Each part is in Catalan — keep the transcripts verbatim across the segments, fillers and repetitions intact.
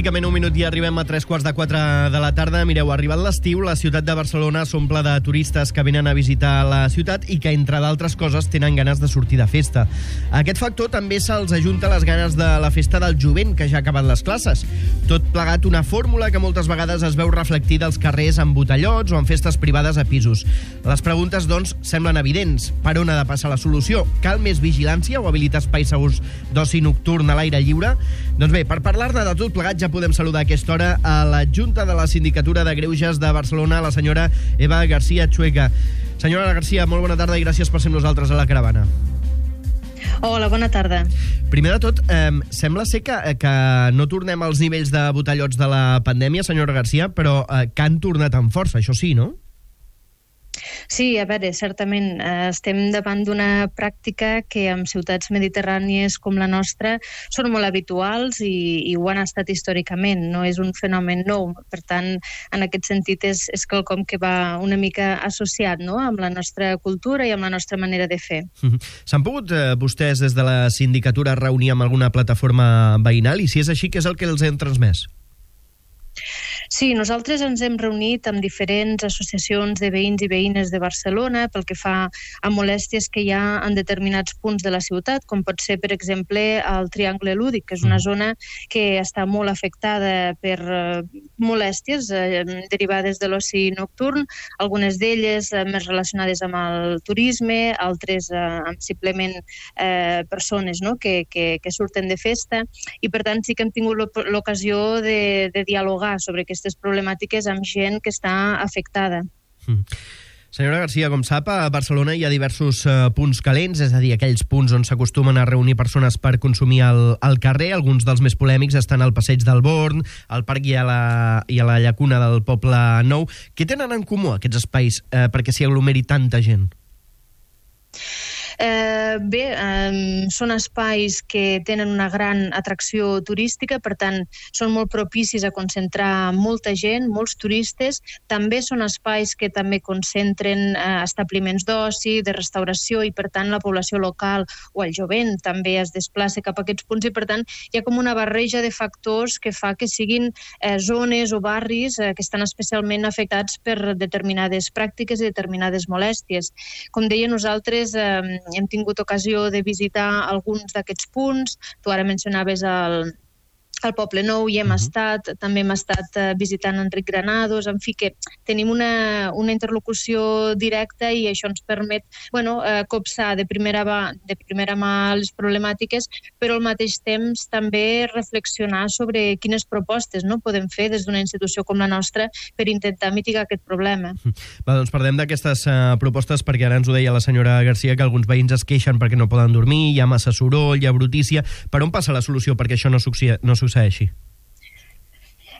Pràcticament un minut i arribem a tres quarts de quatre de la tarda. Mireu, arribat l'estiu, la ciutat de Barcelona s'omple de turistes que venen a visitar la ciutat i que, entre d'altres coses, tenen ganes de sortir de festa. A aquest factor també se'ls ajunta les ganes de la festa del jovent, que ja ha acabat les classes. Tot plegat una fórmula que moltes vegades es veu reflectida als carrers en botellots o en festes privades a pisos. Les preguntes, doncs, semblen evidents. Per on ha de passar la solució? Cal més vigilància o habilitar espais segurs d'oci nocturn a l'aire lliure? Doncs bé, per parlar-ne de tot plegat ja podem saludar a aquesta hora a l'adjunta de la Sindicatura de Greuges de Barcelona, la senyora Eva García Chueca. Senyora García, molt bona tarda i gràcies per ser amb nosaltres a la caravana. Hola, bona tarda. Primer de tot, eh, sembla ser que, que no tornem als nivells de botellots de la pandèmia, senyora García, però eh, que han tornat amb força, això sí, no? Sí, a veure, certament eh, estem davant d'una pràctica que en ciutats mediterrànies com la nostra són molt habituals i, i ho han estat històricament, no és un fenomen nou. Per tant, en aquest sentit és, és quelcom que va una mica associat, no?, amb la nostra cultura i amb la nostra manera de fer. S'han pogut eh, vostès des de la sindicatura reunir amb alguna plataforma veïnal i si és així, què és el que els hem transmès? Sí, nosaltres ens hem reunit amb diferents associacions de veïns i veïnes de Barcelona pel que fa a molèsties que hi ha en determinats punts de la ciutat, com pot ser, per exemple, el Triangle Lúdic, que és una zona que està molt afectada per eh, molèsties eh, derivades de l'oci nocturn, algunes d'elles eh, més relacionades amb el turisme, altres eh, amb simplement eh, persones, no?, que, que, que surten de festa, i per tant sí que hem tingut l'ocasió de, de dialogar sobre aquestes problemàtiques amb gent que està afectada. Mm. Senyora García, com sap, a Barcelona hi ha diversos uh, punts calents, és a dir, aquells punts on s'acostumen a reunir persones per consumir al, al carrer. Alguns dels més polèmics estan al Passeig del Born, al Parc i a la, i a la Llacuna del Poble Nou. Què tenen en comú aquests espais eh, perquè s'hi aglomeri tanta gent? Eh, bé, eh, són espais que tenen una gran atracció turística, per tant, són molt propicis a concentrar molta gent, molts turistes. També són espais que també concentren eh, establiments d'oci, de restauració, i per tant la població local o el jovent també es desplaça cap a aquests punts, i per tant hi ha com una barreja de factors que fa que siguin eh, zones o barris eh, que estan especialment afectats per determinades pràctiques i determinades molèsties. Com deia, nosaltres eh, hem tingut ocasió de visitar alguns d'aquests punts. Tu ara mencionaves el, el Poble Nou, i hem uh-huh. estat, també hem estat uh, visitant Enric Granados, en fi, que tenim una, una interlocució directa i això ens permet, bueno, uh, copsar de primera, va, de primera mà les problemàtiques, però al mateix temps també reflexionar sobre quines propostes, no?, podem fer des d'una institució com la nostra per intentar mitigar aquest problema. Va, doncs parlem d'aquestes uh, propostes, perquè ara ens ho deia la senyora García, que alguns veïns es queixen perquè no poden dormir, hi ha massa soroll, hi ha brutícia. Per on passa la solució perquè això no succeeixi? No succeeixi?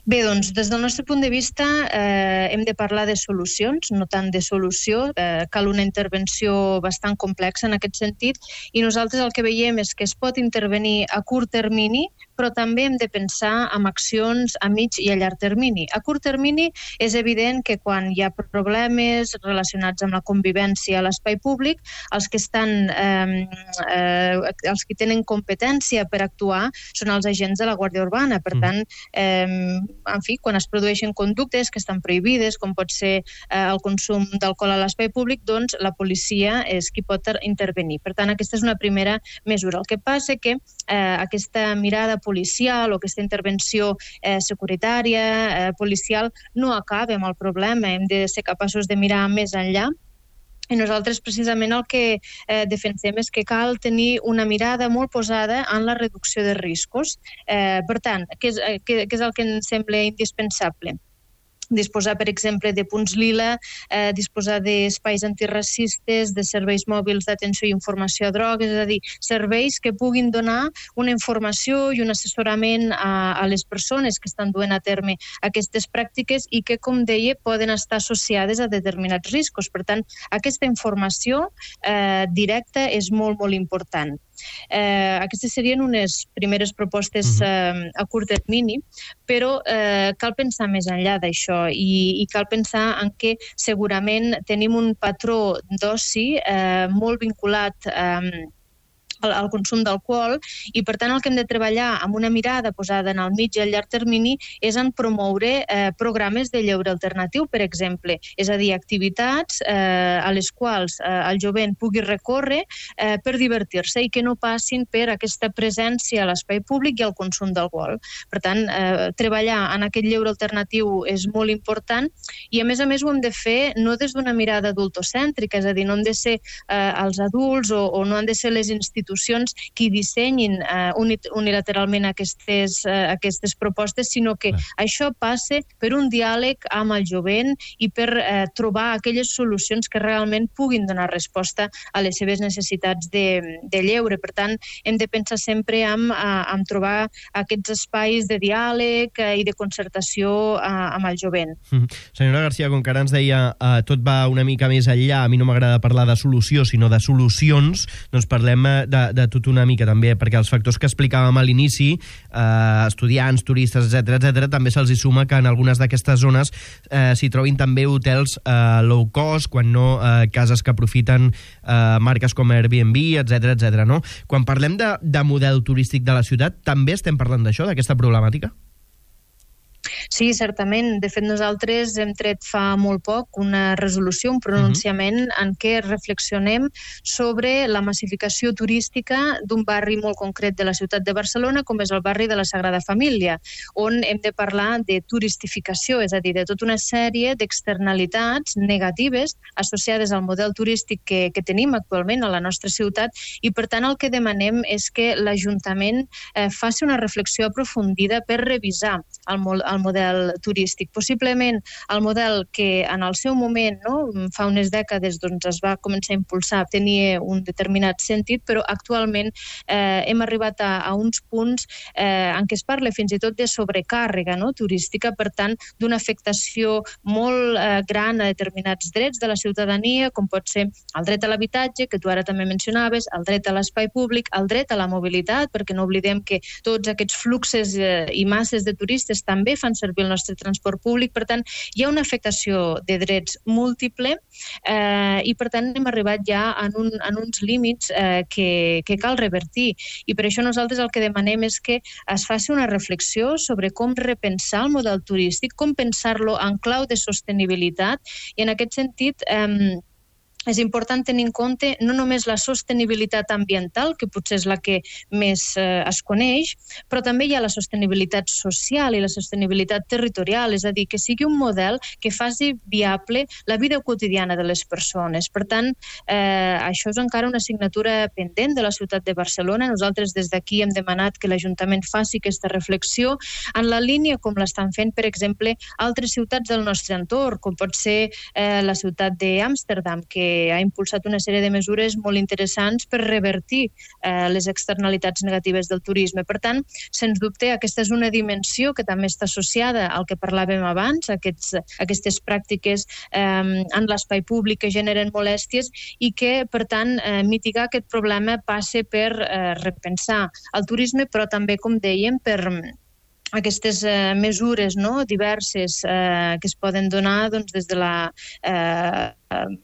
Bé, doncs, des del nostre punt de vista eh, hem de parlar de solucions, no tant de solució. Eh, cal una intervenció bastant complexa en aquest sentit, i nosaltres el que veiem és que es pot intervenir a curt termini, però també hem de pensar en accions a mig i a llarg termini. A curt termini és evident que quan hi ha problemes relacionats amb la convivència a l'espai públic, els que estan, eh, eh, els que tenen competència per actuar són els agents de la Guàrdia Urbana. Per tant, eh, en fi, quan es produeixen conductes que estan prohibides, com pot ser eh, el consum d'alcohol a l'espai públic, doncs la policia és qui pot intervenir. Per tant, aquesta és una primera mesura. El que passa és que eh, aquesta mirada policial o aquesta intervenció eh, securitària, eh, policial, no acaba amb el problema. Hem de ser capaços de mirar més enllà. I nosaltres precisament el que eh, defensem és que cal tenir una mirada molt posada en la reducció de riscos. Eh, per tant, què és, què, què és el que ens sembla indispensable? Disposar, per exemple, de punts lila, eh, disposar d'espais antiracistes, de serveis mòbils d'atenció i informació a drogues, és a dir, serveis que puguin donar una informació i un assessorament a, a les persones que estan duent a terme aquestes pràctiques i que, com deia, poden estar associades a determinats riscos. Per tant, aquesta informació eh, directa és molt, molt important. Eh, aquestes serien unes primeres propostes eh, a curt termini, però eh, cal pensar més enllà d'això i, i cal pensar en que segurament tenim un patró d'oci eh, molt vinculat eh, al consum d'alcohol, i per tant el que hem de treballar amb una mirada posada en el mig i el llarg termini és en promoure eh, programes de lleure alternatiu, per exemple, és a dir, activitats eh, a les quals eh, el jovent pugui recórrer eh, per divertir-se i que no passin per aquesta presència a l'espai públic i al consum d'alcohol. Per tant, eh, treballar en aquest lleure alternatiu és molt important i a més a més ho hem de fer no des d'una mirada adultocèntrica, és a dir, no han de ser eh, els adults o, o no han de ser les institucions qui dissenyin eh, unilateralment aquestes, eh, aquestes propostes, sinó que Clar. Això passe per un diàleg amb el jovent i per eh, trobar aquelles solucions que realment puguin donar resposta a les seves necessitats de, de lleure. Per tant, hem de pensar sempre en, en trobar aquests espais de diàleg eh, i de concertació eh, amb el jovent. Mm. Senyora Garcia, com que ara ens deia eh, tot va una mica més enllà, a mi no m'agrada parlar de solució, sinó de solucions, doncs parlem de de tot una mica també, perquè els factors que explicàvem a l'inici, eh, estudiants, turistes, etcètera, etcètera, també se'ls hi suma que en algunes d'aquestes zones eh, s'hi trobin també hotels eh, low cost, quan no eh, cases que aprofiten eh, marques com Airbnb, etcètera, etcètera, no? Quan parlem de, de model turístic de la ciutat, també estem parlant d'això, d'aquesta problemàtica? Sí, certament. De fet, nosaltres hem tret fa molt poc una resolució, un pronunciament uh-huh. en què reflexionem sobre la massificació turística d'un barri molt concret de la ciutat de Barcelona, com és el barri de la Sagrada Família, on hem de parlar de turistificació, és a dir, de tota una sèrie d'externalitats negatives associades al model turístic que, que tenim actualment a la nostra ciutat, i per tant el que demanem és que l'Ajuntament eh, faci una reflexió aprofundida per revisar el, el model turístic. Possiblement el model que en el seu moment, no, fa unes dècades, doncs, es va començar a impulsar, tenia un determinat sentit, però actualment eh, hem arribat a, a uns punts eh, en què es parla fins i tot de sobrecàrrega, no, turística, per tant, d'una afectació molt eh, gran a determinats drets de la ciutadania, com pot ser el dret a l'habitatge, que tu ara també mencionaves, el dret a l'espai públic, el dret a la mobilitat, perquè no oblidem que tots aquests fluxes eh, i masses de turistes també fan servir el nostre transport públic. Per tant, hi ha una afectació de drets múltiple eh, i, per tant, hem arribat ja en, un, en uns límits eh, que, que cal revertir. I per això nosaltres el que demanem és que es faci una reflexió sobre com repensar el model turístic, com pensar-lo en clau de sostenibilitat, i en aquest sentit eh, és important tenir en compte no només la sostenibilitat ambiental, que potser és la que més eh, es coneix, però també hi ha la sostenibilitat social i la sostenibilitat territorial, és a dir, que sigui un model que faci viable la vida quotidiana de les persones. Per tant, eh, això és encara una assignatura pendent de la ciutat de Barcelona. Nosaltres des d'aquí hem demanat que l'Ajuntament faci aquesta reflexió en la línia com l'estan fent, per exemple, altres ciutats del nostre entorn, com pot ser eh, la ciutat d'Amsterdam, que ha impulsat una sèrie de mesures molt interessants per revertir eh, les externalitats negatives del turisme. Per tant, sens dubte, aquesta és una dimensió que també està associada al que parlàvem abans, aquests, aquestes pràctiques eh, en l'espai públic que generen molèsties i que, per tant, eh, mitigar aquest problema passa per eh, repensar el turisme, però també, com dèiem, per aquestes eh, mesures, no, diverses eh, que es poden donar doncs, des de la, eh,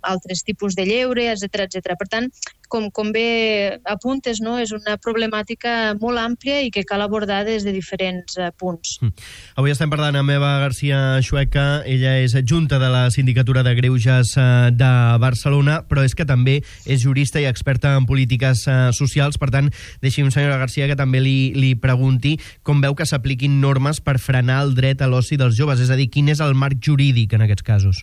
altres tipus de lleure, etcètera, etcètera. Per tant, com, com bé apuntes, no, és una problemàtica molt àmplia i que cal abordar des de diferents eh, punts. Mm. Avui estem parlant amb Eva Garcia Xueca. Ella és adjunta de la Sindicatura de Greuges eh, de Barcelona, però és que també és jurista i experta en polítiques eh, socials. Per tant, deixi'm, senyora Garcia, que també li, li pregunti com veu que s'apliquin normes per frenar el dret a l'oci dels joves, és a dir, quin és el marc jurídic en aquests casos?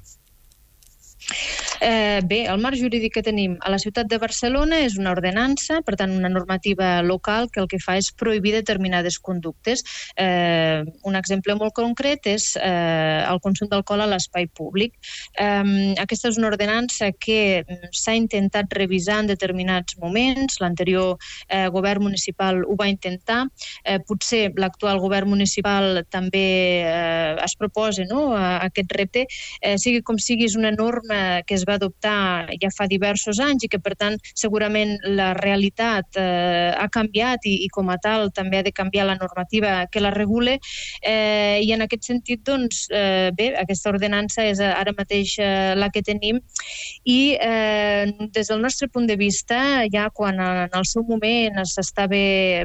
Eh, bé, el marc jurídic que tenim a la ciutat de Barcelona és una ordenança, per tant una normativa local que el que fa és prohibir determinades conductes. Eh, un exemple molt concret és eh, el consum d'alcohol a l'espai públic. Eh, aquesta és una ordenança que s'ha intentat revisar en determinats moments. L'anterior eh, govern municipal ho va intentar. Eh, potser l'actual govern municipal també eh, es proposa, no, a aquest repte. Eh, sigui com sigui, és una norma que es va adoptar ja fa diversos anys i que, per tant, segurament la realitat eh, ha canviat i, i com a tal també ha de canviar la normativa que la regule eh, i en aquest sentit, doncs, eh, bé, aquesta ordenança és ara mateix eh, la que tenim i eh, des del nostre punt de vista, ja quan en el seu moment s'estava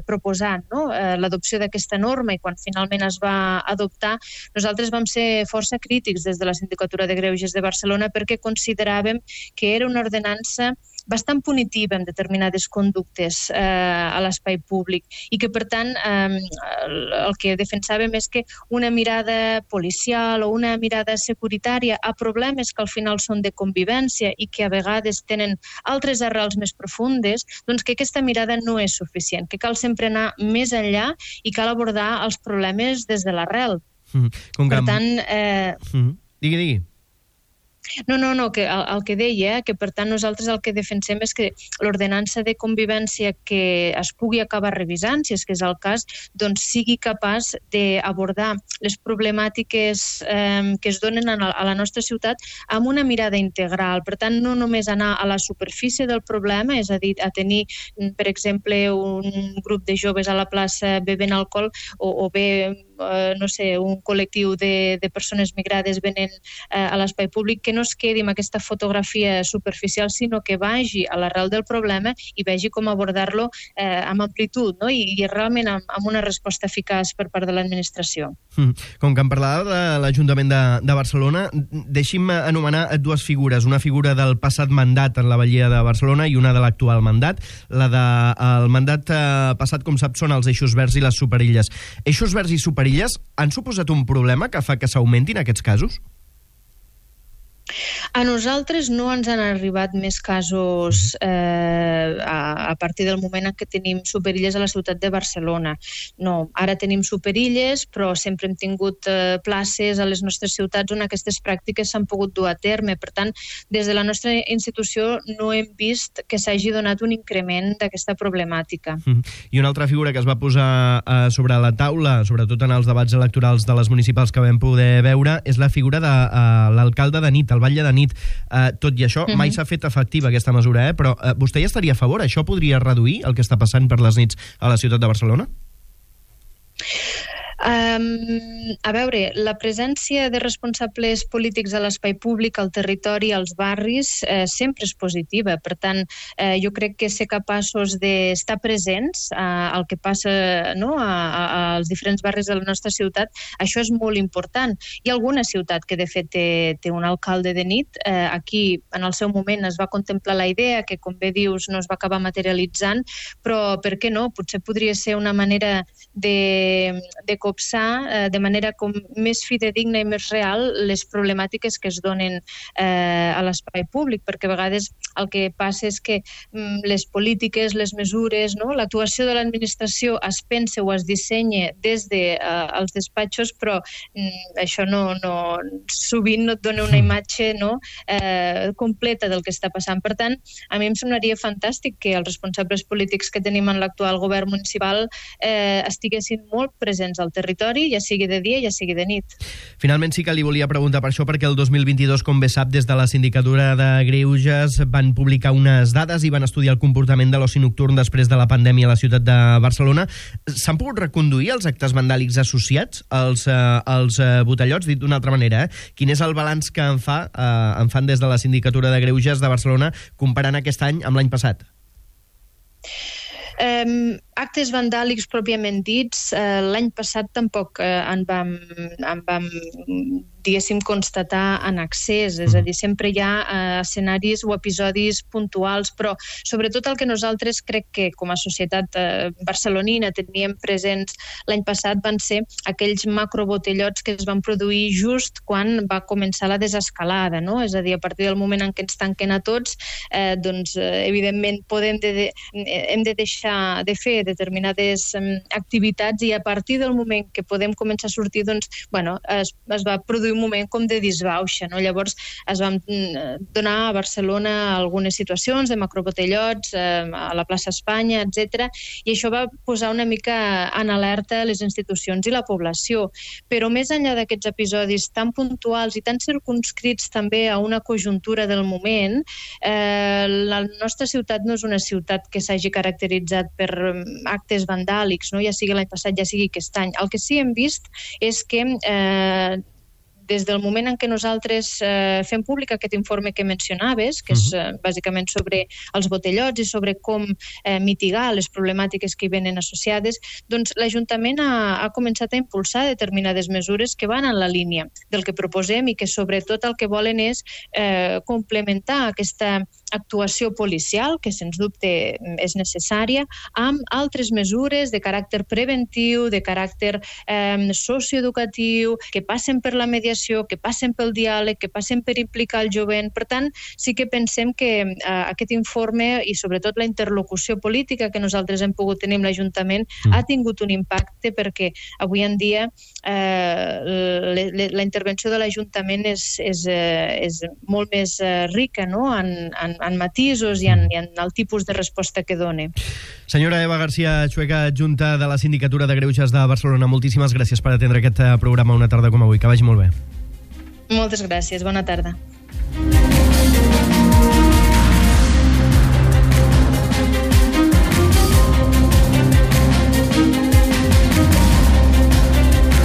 proposant no? eh, l'adopció d'aquesta norma i quan finalment es va adoptar, nosaltres vam ser força crítics des de la Sindicatura de Greuges de Barcelona perquè consideràvem que era una ordenança bastant punitiva en determinades conductes eh, a l'espai públic i que, per tant, eh, el que defensàvem és que una mirada policial o una mirada securitària a problemes que al final són de convivència i que a vegades tenen altres arrels més profundes, doncs que aquesta mirada no és suficient, que cal sempre anar més enllà i cal abordar els problemes des de l'arrel. Mm-hmm. Per tant... Eh... Mm-hmm. Digui, digui. No, no, no, que el, el que deia, que per tant nosaltres el que defensem és que l'ordenança de convivència que es pugui acabar revisant, si és que és el cas, doncs sigui capaç d'abordar les problemàtiques eh, que es donen a la, a la nostra ciutat amb una mirada integral. Per tant, no només anar a la superfície del problema, és a dir, a tenir, per exemple, un grup de joves a la plaça bevent alcohol o, o bé, eh, no sé, un col·lectiu de, de persones migrades venent eh, a l'espai públic, que no es quedi amb aquesta fotografia superficial, sinó que vagi a l'arrel del problema i vegi com abordar-lo eh, amb amplitud, no? I, i realment amb, amb una resposta eficaç per part de l'administració. Mm. Com que em parlava de l'Ajuntament de, de Barcelona, deixi'm anomenar dues figures. Una figura del passat mandat en la Batllia de Barcelona i una de l'actual mandat. La del de, mandat eh, passat, com sap, són els eixos verds i les superilles. Eixos verds i superilles han suposat un problema que fa que s'augmentin aquests casos? A nosaltres no ens han arribat més casos eh, a, a partir del moment en què tenim superilles a la ciutat de Barcelona. No, ara tenim superilles, però sempre hem tingut eh, places a les nostres ciutats on aquestes pràctiques s'han pogut dur a terme. Per tant, des de la nostra institució no hem vist que s'hagi donat un increment d'aquesta problemàtica. Mm. I una altra figura que es va posar eh, sobre la taula, sobretot en els debats electorals de les municipals que vam poder veure, és la figura de eh, l'alcalde de nit, el batlle de nit. Uh, tot i això, uh-huh. mai s'ha fet efectiva aquesta mesura, eh? Però uh, vostè hi estaria a favor? Això podria reduir el que està passant per les nits a la ciutat de Barcelona? Um, a veure, la presència de responsables polítics a l'espai públic, al territori, als barris, eh, sempre és positiva. Per tant, eh, jo crec que ser capaços d'estar presents eh, al que passa no, a, a, als diferents barris de la nostra ciutat, això és molt important. Hi ha alguna ciutat que de fet té, té un alcalde de nit. Eh, aquí, en el seu moment, es va contemplar la idea que, com bé dius, no es va acabar materialitzant, però per què no? Potser podria ser una manera de, de copsar de manera com més fidedigna i més real les problemàtiques que es donen eh, a l'espai públic, perquè a vegades el que passa és que mm, les polítiques, les mesures, no? L'actuació de l'administració es pensa o es dissenya des dels de, uh, despatxos, però mm, això no, no, sovint no et dona una imatge no, eh, completa del que està passant. Per tant, a mi em semblaria fantàstic que els responsables polítics que tenim en l'actual govern municipal eh, estiguessin molt presents al territori, ja sigui de dia, ja sigui de nit. Finalment sí que li volia preguntar per això, perquè el dos mil vint-i-dos, com bé sap, des de la Sindicatura de Greuges van publicar unes dades i van estudiar el comportament de l'oci nocturn després de la pandèmia a la ciutat de Barcelona. S'han pogut reconduir els actes vandàlics associats als, eh, als eh, botellots? Dit d'una altra manera, eh? Quin és el balanç que en, fa, eh, en fan des de la Sindicatura de Greuges de Barcelona comparant aquest any amb l'any passat? Um, actes vandàlics pròpiament dits, uh, l'any passat tampoc uh, en vam, en vam diguéssim, constatar en accés, és a dir, sempre hi ha uh, escenaris o episodis puntuals, però sobretot el que nosaltres crec que com a societat uh, barcelonina teníem presents l'any passat van ser aquells macrobotellots que es van produir just quan va començar la desescalada, no? És a dir, a partir del moment en què ens tanquen a tots, eh, doncs, eh, evidentment, podem de, de, hem de deixar de fer fer determinades um, activitats, i a partir del moment que podem començar a sortir, doncs, bueno, es, es va produir un moment com de disbauxa, no? Llavors es van donar a Barcelona algunes situacions de macrobotellots eh, a la plaça Espanya, etcètera, i això va posar una mica en alerta les institucions i la població. Però més enllà d'aquests episodis tan puntuals i tan circunscrits també a una conjuntura del moment, eh, la nostra ciutat no és una ciutat que s'hagi caracteritzat per actes vandàlics, no? Ja sigui l'any passat, ja sigui aquest any. El que sí hem vist és que eh, des del moment en què nosaltres eh, fem públic aquest informe que mencionaves, que és eh, bàsicament sobre els botellots i sobre com eh, mitigar les problemàtiques que hi venen associades, doncs l'Ajuntament ha, ha començat a impulsar determinades mesures que van en la línia del que proposem i que sobretot el que volen és eh, complementar aquesta actuació policial, que sens dubte és necessària, amb altres mesures de caràcter preventiu, de caràcter eh, socioeducatiu, que passen per la mediació, que passen pel diàleg, que passen per implicar el jovent. Per tant, sí que pensem que eh, aquest informe i sobretot la interlocució política que nosaltres hem pogut tenir amb l'Ajuntament mm. ha tingut un impacte, perquè avui en dia eh, le, le, la intervenció de l'Ajuntament és, és, eh, és molt més eh, rica, no?, en, en en matisos i en, i en el tipus de resposta que doni. Senyora Eva García Chueca, adjunta de la Sindicatura de Greuges de Barcelona, moltíssimes gràcies per atendre aquest programa una tarda com avui. Que vagi molt bé. Moltes gràcies, bona tarda.